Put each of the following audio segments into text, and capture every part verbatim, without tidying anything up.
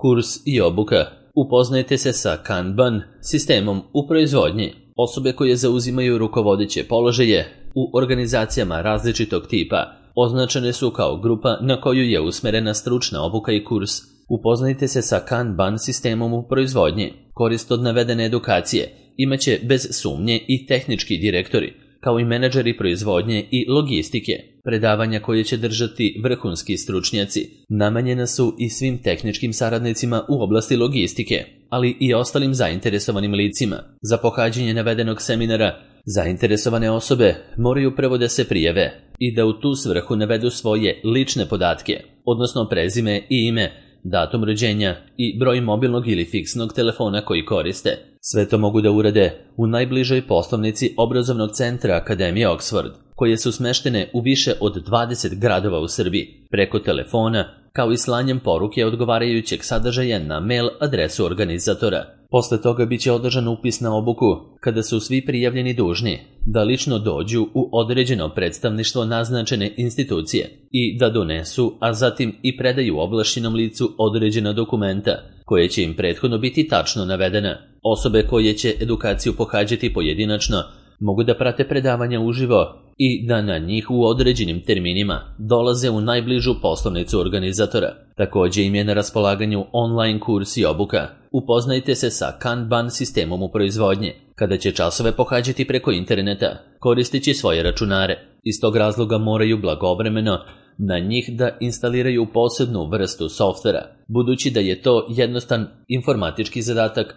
Kurs i obuka. Upoznajte se sa Kanban sistemom u proizvodnji. Osobe koje zauzimaju rukovodeće položaje u organizacijama različitog tipa označene su kao grupa na koju je usmerena stručna obuka i kurs. Upoznajte se sa Kanban sistemom u proizvodnji. Korist od navedene edukacije imaće bez sumnje i tehnički direktori, kao i menadžeri proizvodnje i logistike. Predavanja koje će držati vrhunski stručnjaci namenjena su i svim tehničkim saradnicima u oblasti logistike, ali i ostalim zainteresovanim licima. Za pohađanje navedenog seminara zainteresovane osobe moraju prvo da se prijave i da u tu svrhu navedu svoje lične podatke, odnosno prezime i ime, datum rođenja i broj mobilnog ili fiksnog telefona koji koriste. Sve to mogu da urade u najbližoj poslovnici obrazovnog centra Akademije Oxford, koje su smeštene u više od dvadeset gradova u Srbiji, preko telefona, kao i slanjem poruke odgovarajućeg sadržaja na mail adresu organizatora. Posle toga biće održan upis na obuku, kada su svi prijavljeni dužni da lično dođu u određeno predstavništvo naznačene institucije i da donesu, a zatim i predaju ovlašćenom licu određena dokumenta, koje će im prethodno biti tačno navedena. Osobe koje će edukaciju pohađati pojedinačno mogu da prate predavanja uživo i da na njih u određenim terminima dolaze u najbližu poslovnicu organizatora. Također im je na raspolaganju online kurs i obuka. Upoznajte se sa Kanban sistemom u proizvodnji, kada će časove pohađati preko interneta, koristeći svoje računare. Iz tog razloga moraju blagovremeno na njih da instaliraju posebnu vrstu softvera. Budući da je to jednostavan informatički zadatak,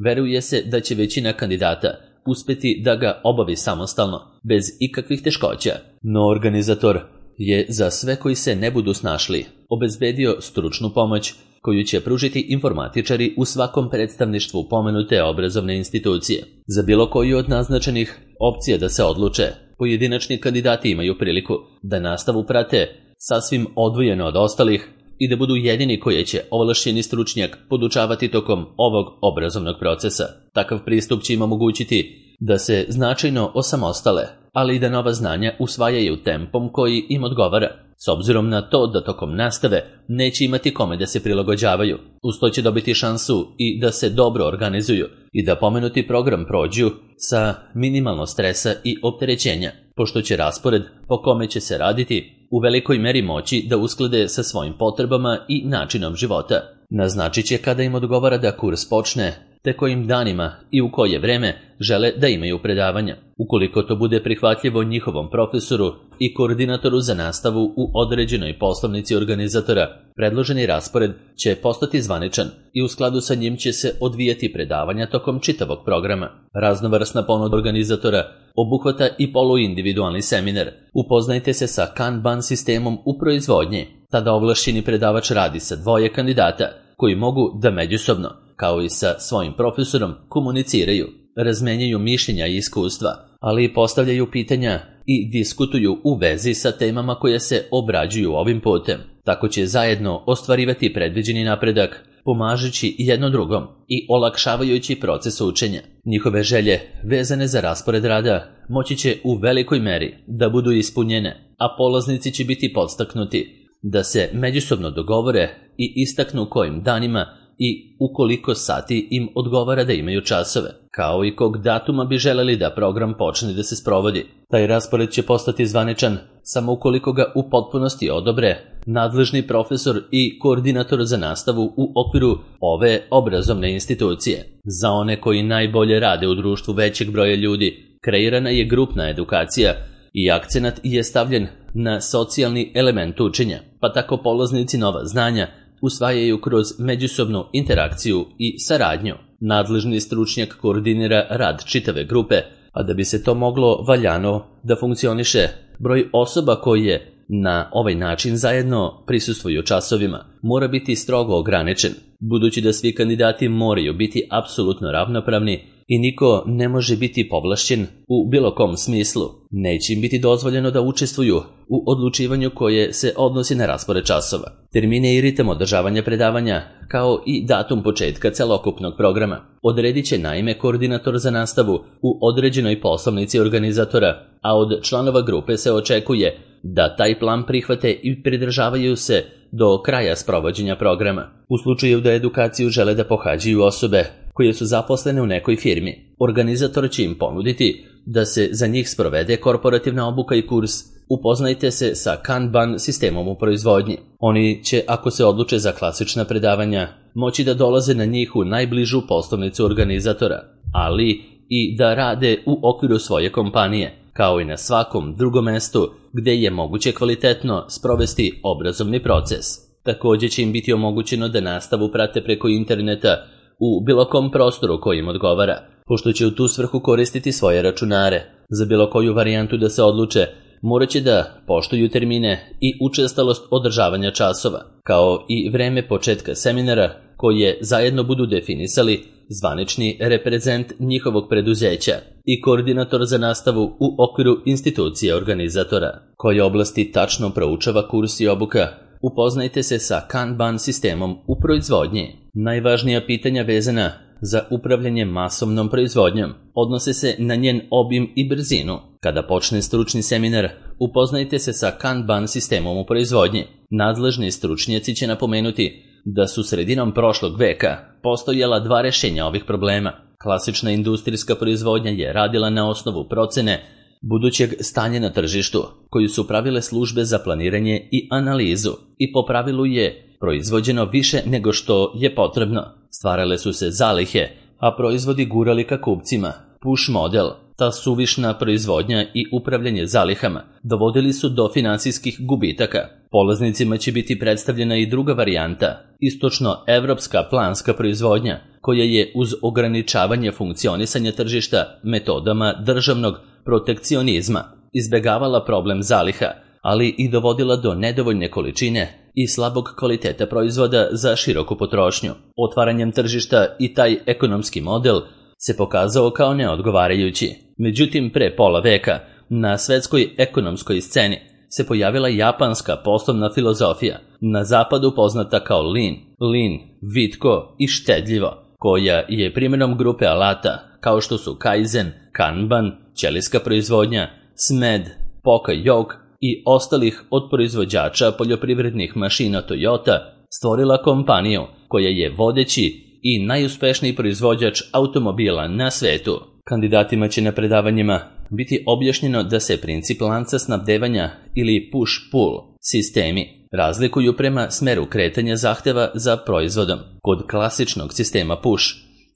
veruje se da će većina kandidata uspeti da ga obavi samostalno, bez ikakvih teškoća. No organizator je za sve koji se ne budu snašli obezbedio stručnu pomoć koju će pružiti informatičari u svakom predstavništvu pomenute obrazovne institucije. Za bilo koju od naznačenih opcija da se odluče, pojedinačni kandidati imaju priliku da nastavu prate sasvim odvojeno od ostalih i da budu jedini koje će ovlašćeni stručnjak podučavati tokom ovog obrazovnog procesa. Takav pristup će im omogućiti da se značajno osamostale, ali i da nova znanja usvajaju tempom koji im odgovara, s obzirom na to da tokom nastave neće imati kome da se prilagođavaju. Uz to će dobiti šansu i da se dobro organizuju i da pomenuti program prođu sa minimalno stresa i opterećenja, pošto će raspored po kome će se raditi u velikoj meri moći da usklade sa svojim potrebama i načinom života. Naznačit će kada im odgovara da kurs počne, te kojim danima i u koje vreme žele da imaju predavanja. Ukoliko to bude prihvatljivo njihovom profesoru i koordinatoru za nastavu u određenoj poslovnici organizatora, predloženi raspored će postati zvaničan i u skladu sa njim će se odvijati predavanja tokom čitavog programa. Raznovrsna ponuda organizatora obuhvata i poluindividualni seminar. Upoznajte se sa Kanban sistemom u proizvodnji. Tada ovlašćeni predavač radi sa dvoje kandidata koji mogu da međusobno, kao i sa svojim profesorom, komuniciraju, razmenjaju mišljenja i iskustva, ali i postavljaju pitanja i diskutuju u vezi sa temama koje se obrađuju ovim putem. Tako će zajedno ostvarivati predviđeni napredak, pomažući jedno drugom i olakšavajući proces učenja. Njihove želje vezane za raspored rada moći će u velikoj meri da budu ispunjene, a polaznici će biti podstaknuti da se međusobno dogovore i istaknu kojim danima i u koliko sati im odgovara da imaju časove, kao i kog datuma bi želeli da program počne da se sprovodi. Taj raspored će postati zvaničan samo ukoliko ga u potpunosti odobre nadležni profesor i koordinator za nastavu u okviru ove obrazovne institucije. Za one koji najbolje rade u društvu većeg broja ljudi, kreirana je grupna edukacija i akcenat je stavljen na socijalni element učenja, pa tako polaznici nova znanja usvajaju kroz međusobnu interakciju i saradnju. Nadležni stručnjak koordinira rad čitave grupe, a da bi se to moglo valjano da funkcioniše, broj osoba koje na ovaj način zajedno prisustvuju časovima mora biti strogo ograničen, budući da svi kandidati moraju biti apsolutno ravnopravni i niko ne može biti povlašćen u bilo kom smislu. Neće im biti dozvoljeno da učestvuju u odlučivanju koje se odnosi na raspored časova, termine i ritam održavanja predavanja, kao i datum početka celokupnog programa. Odredit će naime koordinator za nastavu u određenoj poslovnici organizatora, a od članova grupe se očekuje da taj plan prihvate i pridržavaju se do kraja sprovođenja programa. U slučaju da edukaciju žele da pohađaju osobe koje su zaposlene u nekoj firmi, organizator će im ponuditi da se za njih sprovede korporativna obuka i kurs Upoznajte se sa Kanban sistemom u proizvodnji. Oni će, ako se odluče za klasična predavanja, moći da dolaze na njih u najbližu poslovnicu organizatora, ali i da rade u okviru svoje kompanije, kao i na svakom drugom mestu gde je moguće kvalitetno sprovesti obrazovni proces. Također će im biti omogućeno da nastavu prate preko interneta u bilo kom prostoru koji im odgovara, pošto će u tu svrhu koristiti svoje računare. Za bilo koju varijantu da se odluče, morat će da poštuju termine i učestalost održavanja časova, kao i vreme početka seminara koje zajedno budu definisali zvanični reprezent njihovog preduzeća i koordinator za nastavu u okviru institucije organizatora. Koje oblasti tačno proučava kurs i obuka? Upoznajte se sa Kanban sistemom u proizvodnji. Najvažnija pitanja vezana za upravljanje masovnom proizvodnjom odnose se na njen obim i brzinu. Kada počne stručni seminar, upoznajte se sa Kanban sistemom u proizvodnji. Nadležni stručnjaci će napomenuti da su sredinom prošlog veka postojala dva rešenja ovih problema. Klasična industrijska proizvodnja je radila na osnovu procene budućeg stanja na tržištu, koju su pravile službe za planiranje i analizu, i po pravilu je proizvođeno više nego što je potrebno. Stvarale su se zalihe, a proizvodi gurali ka kupcima. Push model, ta suvišna proizvodnja i upravljanje zalihama dovodili su do finansijskih gubitaka. Polaznicima će biti predstavljena i druga varijanta, istočno-evropska planska proizvodnja, koja je uz ograničavanje funkcionisanja tržišta metodama državnog protekcionizma izbegavala problem zaliha, ali i dovodila do nedovoljne količine i slabog kvaliteta proizvoda za široku potrošnju. Otvaranjem tržišta i taj ekonomski model se pokazao kao neodgovarajući. Međutim, pre pola veka na svetskoj ekonomskoj sceni se pojavila japanska poslovna filozofija, na zapadu poznata kao lean, lean, vitko i štedljivo, koja je primjenom grupe alata kao što su Kaizen, Kanban, ćelijska proizvodnja, Smed, Poka-Yoke i ostalih od proizvođača poljoprivrednih mašina Toyota stvorila kompaniju koja je vodeći i najuspešniji proizvođač automobila na svetu. Kandidatima će na predavanjima biti objašnjeno da se princip lanca snabdevanja ili push-pull sistemi razlikuju prema smeru kretanja zahteva za proizvodom. Kod klasičnog sistema push,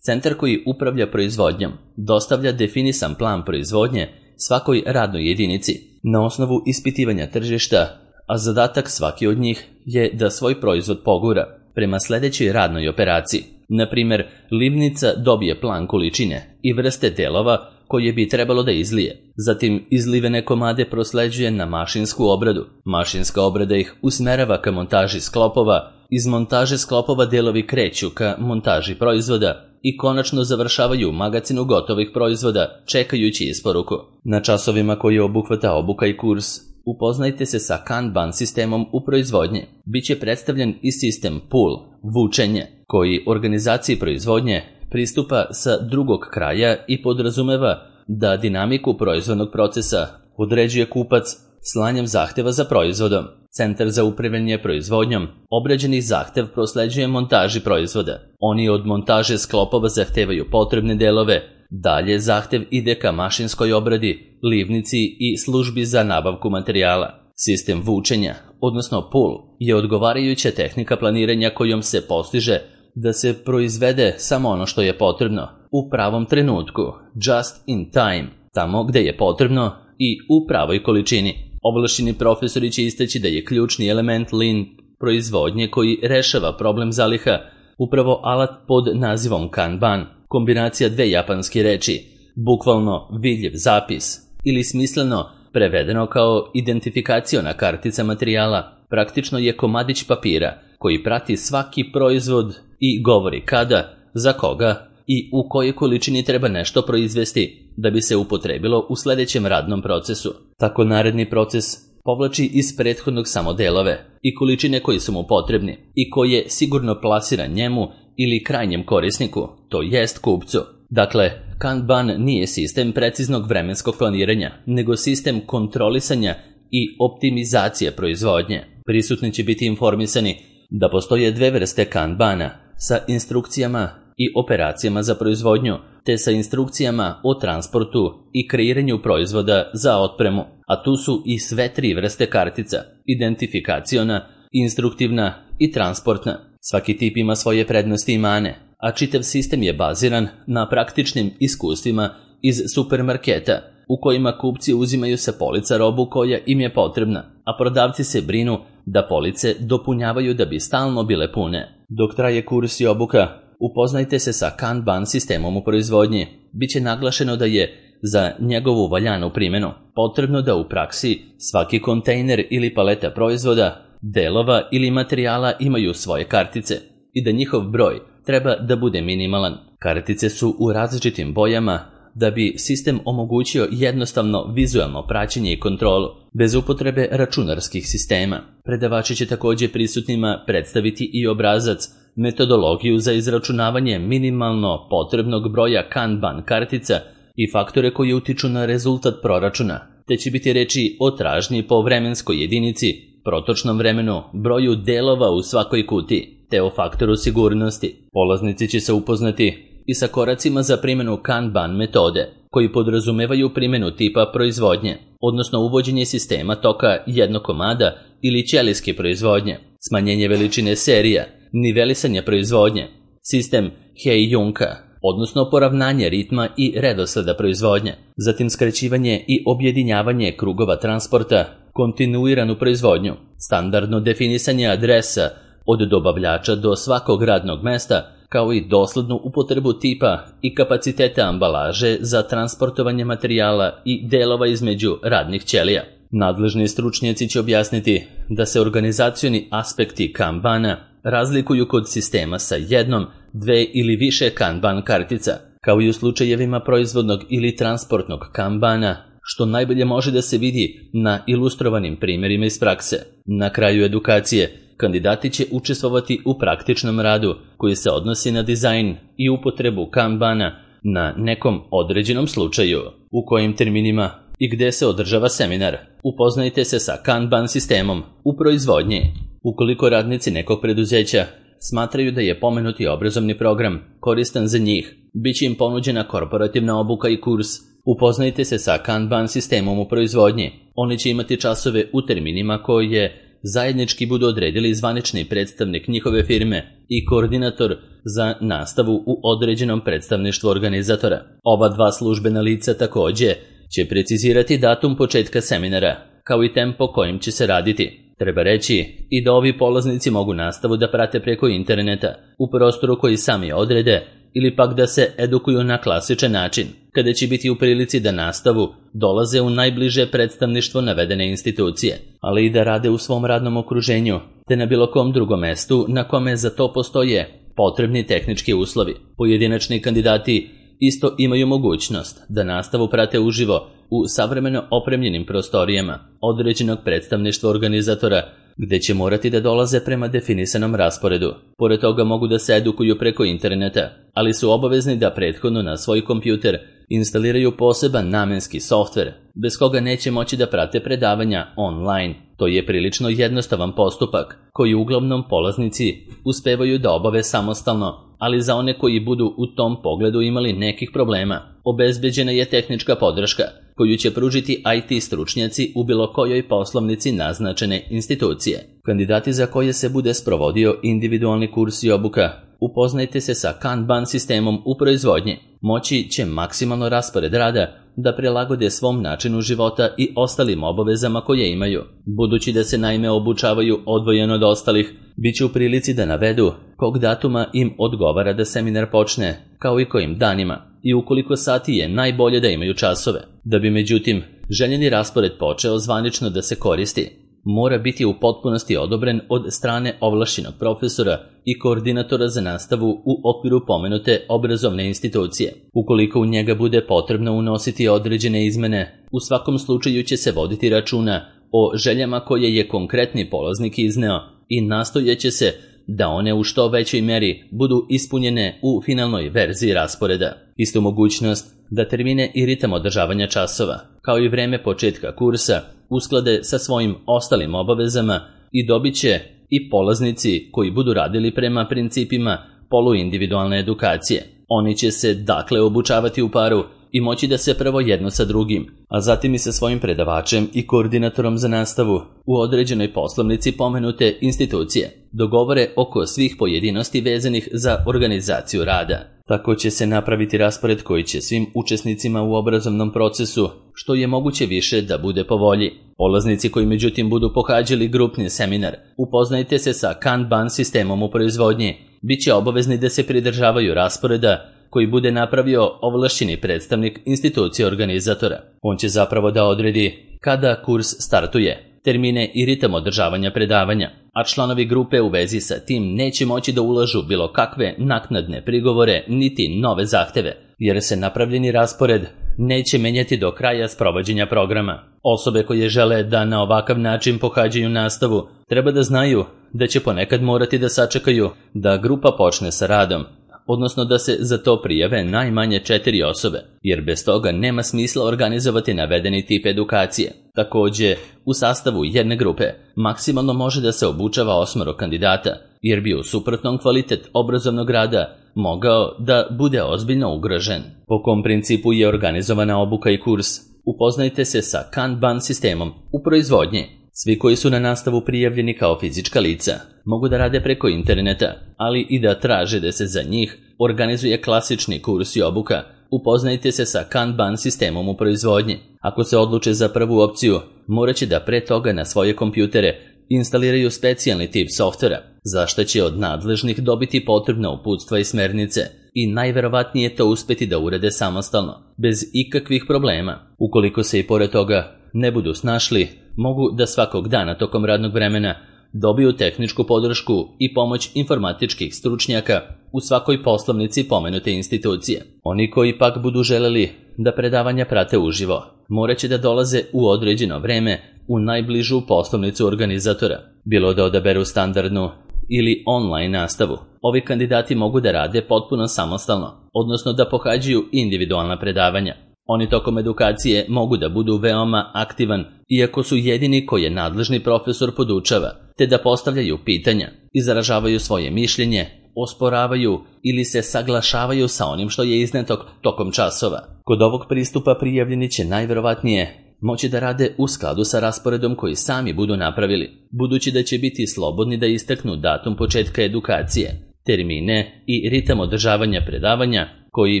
centar koji upravlja proizvodnjom dostavlja definisan plan proizvodnje svakoj radnoj jedinici na osnovu ispitivanja tržišta, a zadatak svaki od njih je da svoj proizvod pogura prema sledećoj radnoj operaciji. Na primjer, livnica dobije plan količine i vrste delova koje bi trebalo da izlije. Zatim izlivene komade prosleđuje na mašinsku obradu. Mašinska obrada ih usmerava ka montaži sklopova, iz montaže sklopova delovi kreću ka montaži proizvoda i konačno završavaju u magacinu gotovih proizvoda čekajući isporuku. Na časovima koje obuhvata obuka i kurs, upoznajte se sa Kanban sistemom u proizvodnji. Biće predstavljen i sistem pull, vučenje, koji organizaciji proizvodnje pristupa sa drugog kraja i podrazumeva da dinamiku proizvodnog procesa određuje kupac slanjem zahteva za proizvodom. Centar za upravljanje proizvodnjom obrađeni zahtev prosleđuje montaži proizvoda. Oni od montaže sklopova zahtevaju potrebne delove. Dalje zahtev ide ka mašinskoj obradi, livnici i službi za nabavku materijala. Sistem vučenja, odnosno pull, je odgovarajuća tehnika planiranja kojom se postiže da se proizvede samo ono što je potrebno, u pravom trenutku, just in time, tamo gde je potrebno i u pravoj količini. Ovlašćeni profesori će istaći da je ključni element lean proizvodnje koji rešava problem zaliha upravo alat pod nazivom Kanban, kombinacija dve japanske reči, bukvalno vidljiv zapis, ili smisleno prevedeno kao identifikaciona kartica materijala, praktično je komadić papira koji prati svaki proizvod i govori kada, za koga i u kojoj količini treba nešto proizvesti da bi se upotrebilo u sledećem radnom procesu. Tako naredni proces povlači iz prethodnog samo delove i količine koji su mu potrebni i koje sigurno plasira njemu ili krajnjem korisniku, to jest kupcu. Dakle, Kanban nije sistem preciznog vremenskog planiranja, nego sistem kontrolisanja i optimizacije proizvodnje. Prisutni će biti informisani da postoje dve vrste kanbana sa instrukcijama i operacijama za proizvodnju, te sa instrukcijama o transportu i kreiranju proizvoda za otpremu, a tu su i sve tri vrste kartica, identifikaciona, instruktivna i transportna. Svaki tip ima svoje prednosti i mane, a čitav sistem je baziran na praktičnim iskustvima iz supermarketa, u kojima kupci uzimaju sa polica robu koja im je potrebna, a prodavci se brinu da police dopunjavaju da bi stalno bile pune. Dok traje kurs i obuka, upoznajte se sa Kanban sistemom u proizvodnji. Biće naglašeno da je za njegovu valjanu primjenu potrebno da u praksi svaki kontejner ili paleta proizvoda, delova ili materijala imaju svoje kartice i da njihov broj treba da bude minimalan. Kartice su u različitim bojama da bi sistem omogućio jednostavno vizualno praćenje i kontrolu, bez upotrebe računarskih sistema. Predavači će također prisutnima predstaviti i obrazac, metodologiju za izračunavanje minimalno potrebnog broja Kanban kartica i faktore koji utiču na rezultat proračuna, te će biti reči o tražnji po vremenskoj jedinici, protočnom vremenu, broju delova u svakoj kutiji, te o faktoru sigurnosti. Polaznici će se upoznati i sa koracima za primjenu Kanban metode, koji podrazumevaju primjenu tipa proizvodnje, odnosno uvođenje sistema toka jednog komada ili ćelijske proizvodnje, smanjenje veličine serija, nivelisanje proizvodnje, sistem Hei-Junka, odnosno poravnanje ritma i redosleda proizvodnje, zatim skraćivanje i objedinjavanje krugova transporta, kontinuiranu proizvodnju, standardno definisanje adresa od dobavljača do svakog radnog mesta, kao i doslednu upotrebu tipa i kapaciteta ambalaže za transportovanje materijala i delova između radnih ćelija. Nadležni stručnjaci će objasniti da se organizacioni aspekti Kanbana razlikuju kod sistema sa jednom, dve ili više Kanban kartica, kao i u slučajevima proizvodnog ili transportnog Kanbana, što najbolje može da se vidi na ilustrovanim primjerima iz prakse. Na kraju edukacije, kandidati će učestvovati u praktičnom radu koji se odnosi na dizajn i upotrebu Kanbana na nekom određenom slučaju. U kojim terminima i gde se održava seminar? Upoznajte se sa Kanban sistemom u proizvodnji. Ukoliko radnici nekog preduzeća smatraju da je pomenuti obrazovni program koristan za njih, bit će im ponuđena korporativna obuka i kurs. Upoznajte se sa Kanban sistemom u proizvodnji. Oni će imati časove u terminima koje zajednički budu odredili zvanični predstavnik njihove firme i koordinator za nastavu u određenom predstavništvu organizatora. Ova dva službena lica također će precizirati datum početka seminara, kao i tempo kojim će se raditi. Treba reći i da ovi polaznici mogu nastavu da prate preko interneta, u prostoru koji sami odrede, ili pak da se edukuju na klasičan način, kada će biti u prilici da nastavu dolaze u najbliže predstavništvo navedene institucije, ali i da rade u svom radnom okruženju, te na bilo kom drugom mestu na kome za to postoje potrebni tehnički uslovi. Pojedinačni kandidati isto imaju mogućnost da nastavu prate uživo u savremeno opremljenim prostorijama određenog predstavništva organizatora, gde će morati da dolaze prema definisanom rasporedu. Pored toga mogu da se edukuju preko interneta, ali su obavezni da prethodno na svoj kompjuter instaliraju poseban namenski softver, bez koga neće moći da prate predavanja online. To je prilično jednostavan postupak, koji uglavnom polaznici uspevaju da obave samostalno, ali za one koji budu u tom pogledu imali nekih problema, obezbeđena je tehnička podrška, koju će pružiti I T stručnjaci u bilo kojoj poslovnici naznačene institucije. Kandidati za koje se bude sprovodio individualni kurs i obuka, upoznajte se sa Kanban sistemom u proizvodnji. Moći će maksimalno raspored rada da prilagode svom načinu života i ostalim obavezama koje imaju. Budući da se naime obučavaju odvojeno od ostalih, bit će u prilici da navedu kog datuma im odgovara da seminar počne, kao i kojim danima, i ukoliko sati je najbolje da imaju časove. Da bi međutim željeni raspored počeo zvanično da se koristi, mora biti u potpunosti odobren od strane ovlašćenog profesora i koordinatora za nastavu u okviru pomenute obrazovne institucije. Ukoliko u njega bude potrebno unositi određene izmene, u svakom slučaju će se voditi računa o željama koje je konkretni polaznik izneo i nastojaće se da one u što većoj meri budu ispunjene u finalnoj verziji rasporeda. Istu mogućnost da termine i ritam održavanja časova, kao i vreme početka kursa, usklade sa svojim ostalim obavezama, i dobit će i polaznici koji budu radili prema principima poluindividualne edukacije. Oni će se dakle obučavati u paru i moći da se prvo jedno sa drugim, a zatim i sa svojim predavačem i koordinatorom za nastavu u određenoj poslovnici pomenute institucije dogovore oko svih pojedinosti vezanih za organizaciju rada. Tako će se napraviti raspored koji će svim učesnicima u obrazovnom procesu što je moguće više da bude po volji. Polaznici koji međutim budu pohađali grupni seminar, upoznajte se sa Kanban sistemom u proizvodnji, bit će obavezni da se pridržavaju rasporeda koji bude napravio ovlašćeni predstavnik institucije organizatora. On će zapravo da odredi kada kurs startuje, termine i ritam održavanja predavanja, a članovi grupe u vezi sa tim neće moći da ulažu bilo kakve naknadne prigovore niti nove zahteve, jer se napravljeni raspored neće menjati do kraja sprovođenja programa. Osobe koje žele da na ovakav način pohađaju nastavu treba da znaju da će ponekad morati da sačekaju da grupa počne sa radom, odnosno da se za to prijave najmanje četiri osobe, jer bez toga nema smisla organizovati navedeni tip edukacije. Takođe, u sastavu jedne grupe maksimalno može da se obučava osmoro kandidata, jer bi u suprotnom kvalitet obrazovnog rada mogao da bude ozbiljno ugrožen. Po kom principu je organizovana obuka i kurs? Upoznajte se sa Kanban sistemom u proizvodnji. Svi koji su na nastavu prijavljeni kao fizička lica mogu da rade preko interneta, ali i da traže da se za njih organizuje klasični kurs i obuka. Upoznajte se sa Kanban sistemom u proizvodnji. Ako se odluče za prvu opciju, morat će da pre toga na svoje kompjutere instaliraju specijalni tip softvera, za što će od nadležnih dobiti potrebna uputstva i smernice i najverovatnije to uspeti da urade samostalno, bez ikakvih problema. Ukoliko se i pored toga ne budu snašli, mogu da svakog dana tokom radnog vremena dobiju tehničku podršku i pomoć informatičkih stručnjaka u svakoj poslovnici pomenute institucije. Oni koji pak budu želeli da predavanja prate uživo, morat će da dolaze u određeno vreme u najbližu poslovnicu organizatora, bilo da odaberu standardnu ili online nastavu. Ovi kandidati mogu da rade potpuno samostalno, odnosno da pohađaju individualna predavanja. Oni tokom edukacije mogu da budu veoma aktivan, iako su jedini koje nadležni profesor podučava, te da postavljaju pitanja, izražavaju svoje mišljenje, osporavaju ili se saglašavaju sa onim što je izneto tokom časova. Kod ovog pristupa prijavljeni će najverovatnije moći da rade u skladu sa rasporedom koji sami budu napravili, budući da će biti slobodni da istaknu datum početka edukacije, termine i ritam održavanja predavanja koji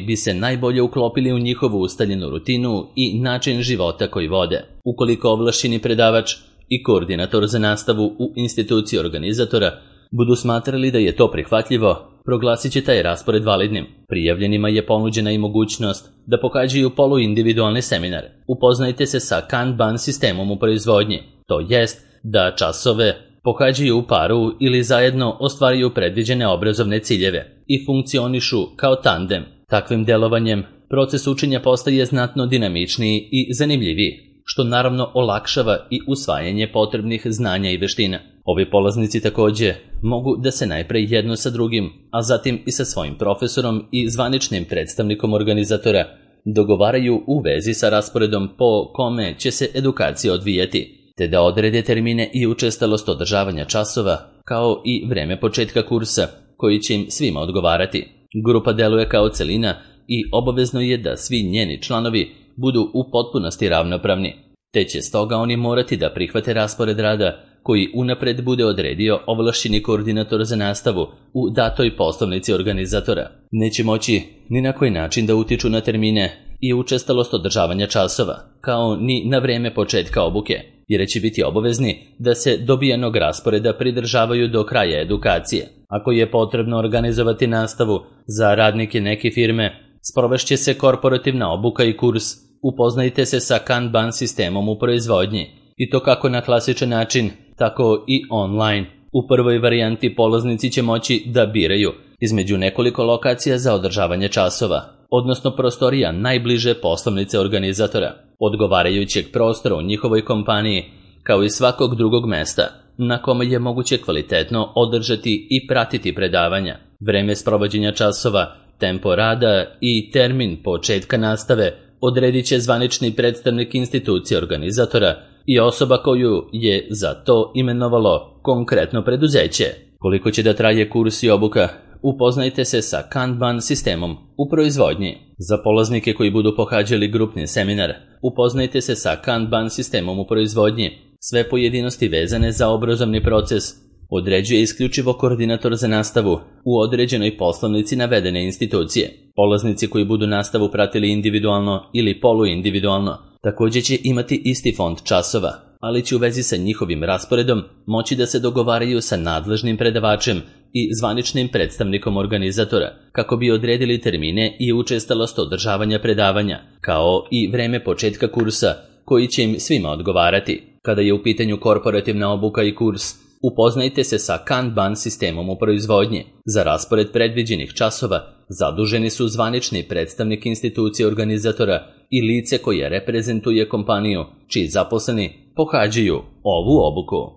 bi se najbolje uklopili u njihovu ustaljenu rutinu i način života koji vode. Ukoliko ovlašćeni predavač i koordinator za nastavu u instituciji organizatora budu smatrali da je to prihvatljivo, proglasit će taj raspored validnim. Prijavljenima je ponuđena i mogućnost da pohađaju poluindividualne seminare. Upoznajte se sa Kanban sistemom u proizvodnji, to jest da časove pohađaju u paru ili zajedno ostvaruju predviđene obrazovne ciljeve i funkcionišu kao tandem. Takvim delovanjem proces učenja postaje znatno dinamičniji i zanimljiviji, što naravno olakšava i usvajanje potrebnih znanja i veština. Ovi polaznici takođe mogu da se najpre jedno sa drugim, a zatim i sa svojim profesorom i zvaničnim predstavnikom organizatora dogovaraju u vezi sa rasporedom po kome će se edukacija odvijati, te da odrede termine i učestalost održavanja časova, kao i vreme početka kursa, koji će im svima odgovarati. Grupa deluje kao celina i obavezno je da svi njeni članovi budu u potpunosti ravnopravni, te će stoga oni morati da prihvate raspored rada koji unapred bude odredio ovlašćeni koordinator za nastavu u datoj poslovnici organizatora. Neće moći ni na koji način da utiču na termine i učestalost održavanja časova, kao ni na vreme početka obuke, jer će biti obavezni da se dobijenog rasporeda pridržavaju do kraja edukacije. Ako je potrebno organizovati nastavu za radnike neke firme, sprovešće se korporativna obuka i kurs. Upoznajte se sa Kanban sistemom u proizvodnji, i to kako na klasičan način, tako i online. U prvoj varijanti polaznici će moći da biraju između nekoliko lokacija za održavanje časova, odnosno prostorija najbliže poslovnice organizatora, odgovarajućeg prostora u njihovoj kompaniji, kao i svakog drugog mesta na kome je moguće kvalitetno održati i pratiti predavanja. Vreme sprovođenja časova, tempo rada i termin početka nastave odredit će zvanični predstavnik institucije organizatora i osoba koju je za to imenovalo konkretno preduzeće. Koliko će da traje kurs i obuka? Upoznajte se sa Kanban sistemom u proizvodnji. Za polaznike koji budu pohađali grupni seminar, upoznajte se sa Kanban sistemom u proizvodnji. Sve pojedinosti vezane za obrazovni proces određuje isključivo koordinator za nastavu u određenoj poslovnici navedene institucije. Polaznici koji budu nastavu pratili individualno ili poluindividualno također će imati isti fond časova, ali će u vezi sa njihovim rasporedom moći da se dogovaraju sa nadležnim predavačem i zvaničnim predstavnikom organizatora kako bi odredili termine i učestalost održavanja predavanja, kao i vreme početka kursa koji će im svima odgovarati. Kada je u pitanju korporativna obuka i kurs, upoznajte se sa Kanban sistemom u proizvodnji. Za raspored predviđenih časova zaduženi su zvanični predstavnik institucije organizatora i lice koje reprezentuje kompaniju čiji zaposleni pohađaju ovu obuku.